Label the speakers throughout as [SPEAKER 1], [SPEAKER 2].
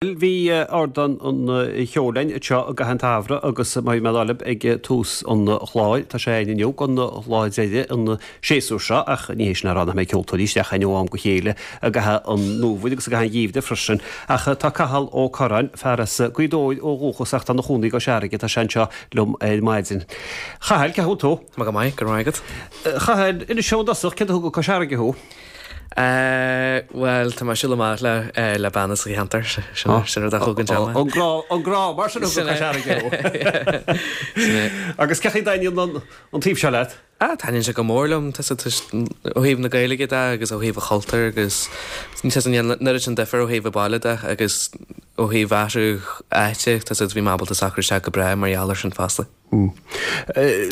[SPEAKER 1] Bhí Ardán an Cheoil againn anseo i gcaitheamh an tsamhraidh agus mar a bhí mé ag rá libh ag tús an chláir, tá sé againn inniu don lá deiridh an séasúr seo ach ní hé sin le rá nach mbeidh ceoltóirí isteach againn ó am go chéile i gcaitheamh an fhómhair agus i gcaitheamh an gheimhridh freisin. Ach tá Cathal Ó Curráin, fear as Gaoth Dobhair ó dhúchas ach tá ina chónaí i gCois Fharraige, tá sé anseo liom ar maidin. Chathail, cén chaoi a bhfuil tú?
[SPEAKER 2] Tá mé go maith, go raibh maith agat.
[SPEAKER 1] Chathail, inis dom i dtosach, céard a thug go Cois Fharraige thú?
[SPEAKER 2] Bhuel, tá mé ag siúl amach le le bean as an cheantar, sin sin rud a thug anseo mé.
[SPEAKER 1] An grá, an grá, mar sin a thug go Cois Fharraige thú.
[SPEAKER 2] Sin é.
[SPEAKER 1] Agus cén chaoi a dtaitníonn an an taobh seo leat?
[SPEAKER 2] Ah, taitníonn sé go mór liom, tá ó thaobh na Gaeilge de agus ó thaobh an chultúir agus tá sé an oiread sin difear ó thaobh an baile de agus ó thaobh athrú áite, tá bhí mé ábalta socrú isteach go breá mar gheall air sin fosta.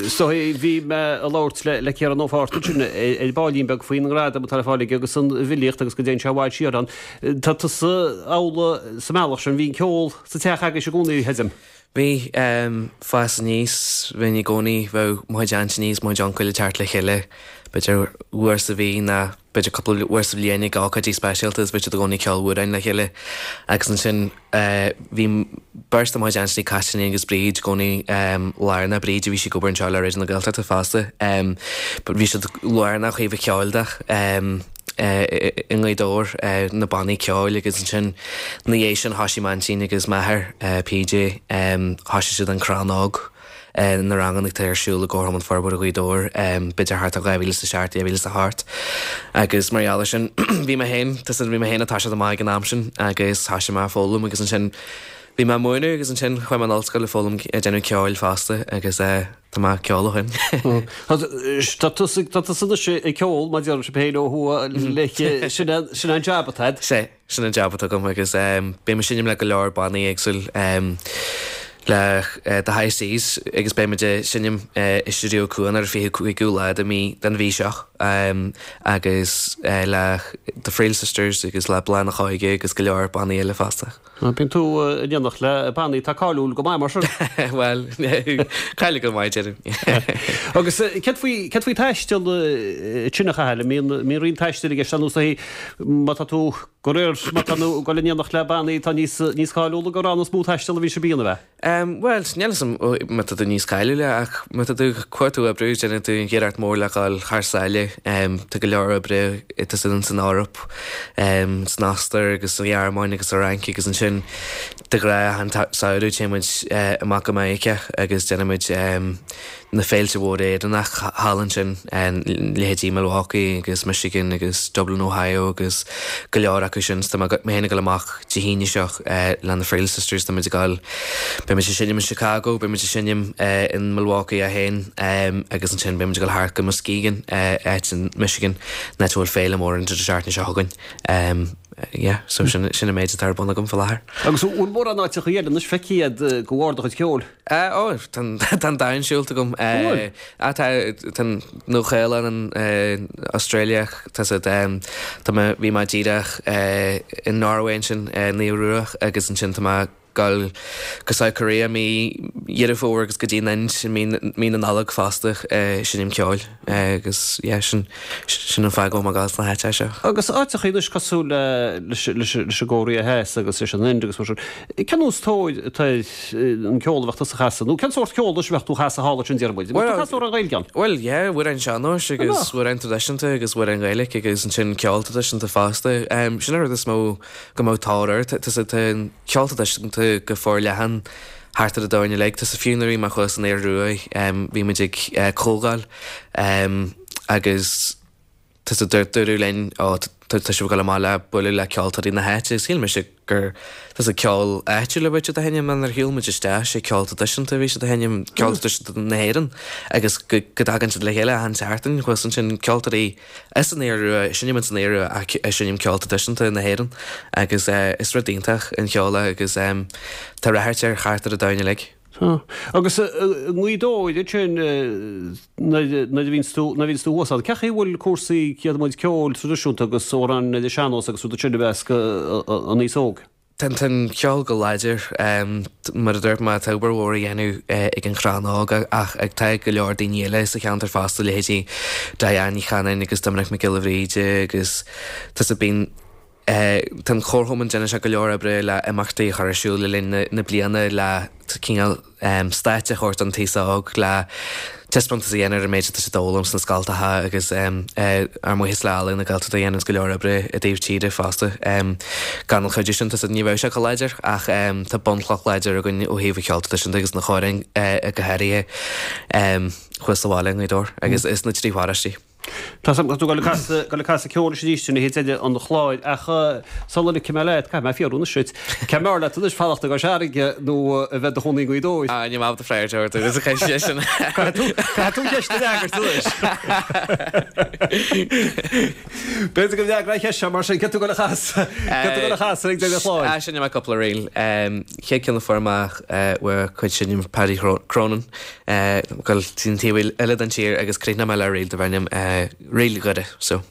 [SPEAKER 1] So, bhí mé ag labhairt le Ciarán Ó Fátharta ansin ar baillín beag faoin ngradam atá le fáil aige agus an bhfilíocht agus go dtéann sé i bhfad siar ann. Tá tusa amhlaidh sa mbealach sin, bhí an ceol sa teach agaibhse i gcónaí, creidim.
[SPEAKER 2] Bhí. Fás aníos, bhínn i gcónaí, bheadh mo chuid aintíní is mo chuid uncail ag teacht le chéile, b'fhéidir uair sa mhí nó b'fhéidir cúpla uair sa bhliain ag ócáidí speisialta is bheadh siad i gcónaí ag ceol amhráin le chéile agus ansin bhí beirt de mo chuid aintíní, Caitlín agus Bríd, i gcónaí lárnach, Bríd a bhí sí ag obair anseo le Raidió na Gaeltachta fosta but bhí siad lárnach ó thaobh an cheoil de i nGaoth Dobhair, na bannaí ceoil agus ansin ina dhiaidh sin thoisigh m'aintín agus m'athair, PJ, thoisigh siad An Crann Óg. na ranganna atá ar siúl i gComharchumann Forbartha Ghaoth Dobhair, b'fhéidir thart ar 2007, 2008. Agus mar gheall air sin, bhí mé féin, tá bhí mé féin ag toiseacht amach ag an am sin agus thoisigh mé ag foghlaim agus ansin bhí mé ag múineadh agus ansin chuaigh mé an ollscoil ag foghlaim ag déanamh ceoil fosta agus tá mé ag ceol ó
[SPEAKER 1] shin. Tá tusa tá tusa anois ag ceol mar a deir sibh féin ó thuaidh sin sin an jab atá agat.
[SPEAKER 2] Sea. Sin an jab atá agam agus bím ag seinm le go leor bannaí éagsúil le The High Seas agus beidh muid ag seinm i Stiúideo Cuan ar an 25ú lá de mí den mhí seo agus le The Friel Sisters agus le Bláth na hÓige agus go leor bannaí eile fosta.
[SPEAKER 1] Bíonn tú in éineacht le bannaí atá cáiliúil go maith mar sin.
[SPEAKER 2] Bhuel, cáiliúil go maith déarfainn.
[SPEAKER 1] Agus céard faoi céard faoi taisteal ansin a Chathail, an mbíonn mbíonn roinnt taistil i gceist ar nós má tá tú de réir má tá tú ag dul in éineacht le bannaí atá níos níos cáiliúla gur ann is mó taisteal a bhíonn sibh a dhéanamh,
[SPEAKER 2] ea? Bhuel, níl 'fhios a'm má tá tú níos cáiliúla ach má tá tú cuir tú oibriú, déanann tú an iarracht mór le dhul thar sáile. Tá go leor oibre tá san san Eoraip, san Ostair agus sa Ghearmáin agus sa Fhrainc agus ansin de ghnáth achan samhradh téann muid amach go Meiriceá agus déanann muid na féilte mhóra Éireannach thall ansin, leithéidí Milwaukee agus Michigan agus Dublin, Ohio agus go leor acu sin. So tá mé féin ag dul amach Dé hAoine seo le na Friel Sisters, tá muid ag dul, beidh muid ag seinm in Chicago, beidh muid ag seinm in Milwaukee é féin agus ansin beidh muid ag dul thart go Muskegon, áit in Michigan, an áit a bhfuil féile mór an deireadh seachtaine seo chugainn. Yeah, so sin an méid atá ar bun agam faoi láthair.
[SPEAKER 1] Agus an bhfuil mórán áiteacha eile anois feicthe agat de bharr do chuid ceoil?
[SPEAKER 2] Ó, tá an domhan siúlta agam.
[SPEAKER 1] An bhfuil?
[SPEAKER 2] Tá, tá an Nua-Shéalainn, an Australia, tá siad, tá mé, bhí mé díreach in Norway ansin, an Iorua agus ansin tá mé ag dul go South Korea mí Dheireadh Fómhair agus go dtí an Ind i mí, mí na Nollag fosta, seinm ceoil agus yeah, sin, sin an fáth go bhfuil mé ag dul sna háiteacha seo.
[SPEAKER 1] Agus áiteacha anois cosúil le, leis, leis, leis an gCóiré Theas agus leis an Ind agus mar sin, cén nós tóir atá ar an ceol a bheadh tusa a chasadh, nó cén sórt ceoil anois a bheadh tú a chasadh thall ansin, déarfaidh muid? An mbeadh tú ag casadh amhráin Ghaeilge ann?
[SPEAKER 2] Bhuel, yeah, amhráin sean-nóis agus amhráin traidisiúnta agus amhráin Ghaeilge agus ansin ceol traidisiúnta fosta. Sin an rud is mó go mbeadh tóir air. Tá an ceol traidisiúnta go forleathan thart ar an domhan uilig. Tá fiú nuair a bhí mé thuas san Iorua, bhí muid ag comhdháil agus Tá sa dúradh linn, ó, tá sibh ag dul amach le bualadh le ceoltóirí na háite. Shíl mise gur tá sa ceol áitiúil a bheadh siad a sheinm, nuair a shiúil muid isteach, sé ceol traidisiúnta a bhí siad a sheinm, ceol traidisiúnta na hÉireann agus go dtagann siad le chéile achan seachtain thuas ansin, ceoltóirí as an Iorua, ag seinm ins an Iorua ach ag seinm ceol traidisiúnta na hÉireann agus is rud iontach an ceol é agus tá ráchairt air thart ar an domhan uilig.
[SPEAKER 1] Tá. Agus i nGaoth Dobhair ansin nuair a bhíonns tú, nuair a bhíonns tú thuas ann, cén chaoi a bhfuil cúrsaí, céard a muid, ceoil traidisiúnta agus amhráin ar an sean-nós agus rudaí sin i measc an aos óg?
[SPEAKER 2] Tá an ceol go láidir. Mar a dúirt mé, tá obair mhór á dhéanamh ag an Chrann Óg ach tá go leor daoine eile sa cheantar fosta, leithéidí Diane Ní Chanainn agus Doiminic Mac Giolla Bhríde agus tá sa bíonn. Tá an Chomharchumann, déanann sé go leor oibre le imeachtaí a chur ar siúl le linn na bliana le cineál stáitse a thabhairt don t-aos óg, le taispeántas a dhéanamh ar an méid atá siad a fhoghlaim sna scoltacha agus ár mbuíochas le Ealaín na Gaeltachta a dhéananns go leor oibre i dtaobh tíre fosta. Gan an chuidiú sin tá ní bheadh sé chomh láidir ach tá bunchloch láidir againn ó thaobh an cheoil traidisiúnta agus na hamhráin go háirithe thuas sa bhaile i nGaoth Dobhair agus sna 3 pharóistí.
[SPEAKER 1] Tá 's agam go bhfuil tú ag dul ag casadh ceoil arís anois ag deireadh an chláir ach sula ligfidh mé leat, caithfidh mé fiafraí anois duit, cé mb'fhearr leat anois, fanacht i gCois Fharraige nó a bheith i do chónaí i nGaoth Dobhair?
[SPEAKER 2] Ah, níl mé ábalta freagairt ort ar an cheist sin.
[SPEAKER 1] Caithfidh tú, caithfidh tú an cheist a fhreagairt anois. B'fhéidir go bhfreagróidh an cheist seo mar sin, cé tú ag dul a chasadh, cé tú ag dul a chasadh ag deireadh an chláir?
[SPEAKER 2] Ah, seinnfidh mé cúpla ríl. Chéad ceann a fuair mé uaidh cuid sin Paddy Cronin. Dul go dtí an taobh eile den tír agus críochnóidh mé le ríl darb ainm Ríl Dhoire so.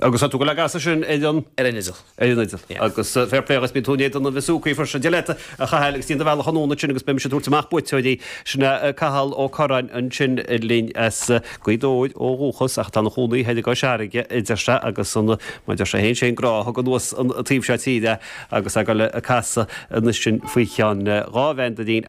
[SPEAKER 1] Agus tá tú ag dul á gcasadh sin ar
[SPEAKER 2] an. Ar an fhidil.
[SPEAKER 1] Ar an fhidil. Yeah. Agus fair play agus bíonn tú in éadan na bhfiosúcaí freisin. Dia leat a Chathail agus déan do bhealach anonn ansin agus beidh mise ag tabhairt amach buaiteoirí. Sin é Cathal Ó Curráin ansin linn as Gaoth Dobhair ó dhúchas ach tá ina chónaí thoir i gCois Fharraige a deir sé agus an, mar a deir sé féin, sé an grá a thug anuas an taobh seo tíre é agus é ag dul ag casadh ansin faoi cheann 2 bhandoirín.